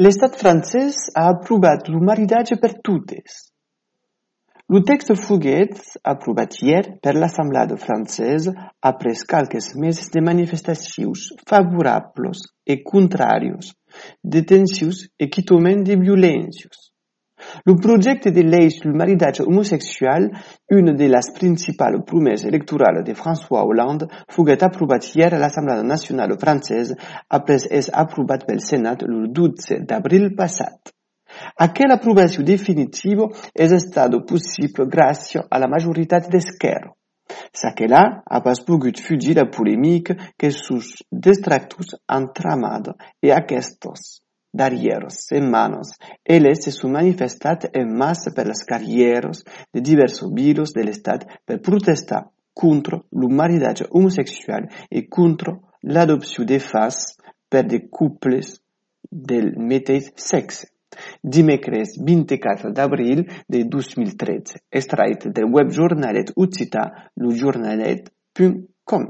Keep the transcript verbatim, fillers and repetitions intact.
l'estat francès ha aprovat lo maridatge per totes. Lo text foguet aprovat hier per l'Assemblada francesa après qualques meses de manifestacions favorables e contrarios, detencions e quitoments de violències. Lo projecte de llei sul maridatge homosexual, una de las principals promesses electorales de François Hollande, foguet aprovat hier a l'Assemblada Nacional francesa après és aprovat pel Senat lo dotze d'abril passat. Aquella aprovació definitiva és estat possible gràcies a la majoritat d'esquerra. S'aquella ha pas pogut fugir la polèmica que sus detractors han tramat e aquestes darrieres setmanes elles se són manifestat en massa per les carrieres de diversos viles de l'estat per protestar contra lo maridatge homosexual e contra l'adopció de fills per de couples del mateix sexe. Dimecres vint-i-quatre d'abril de dos mil tretze, extrait del web jornalet occità lo jornalet punt com.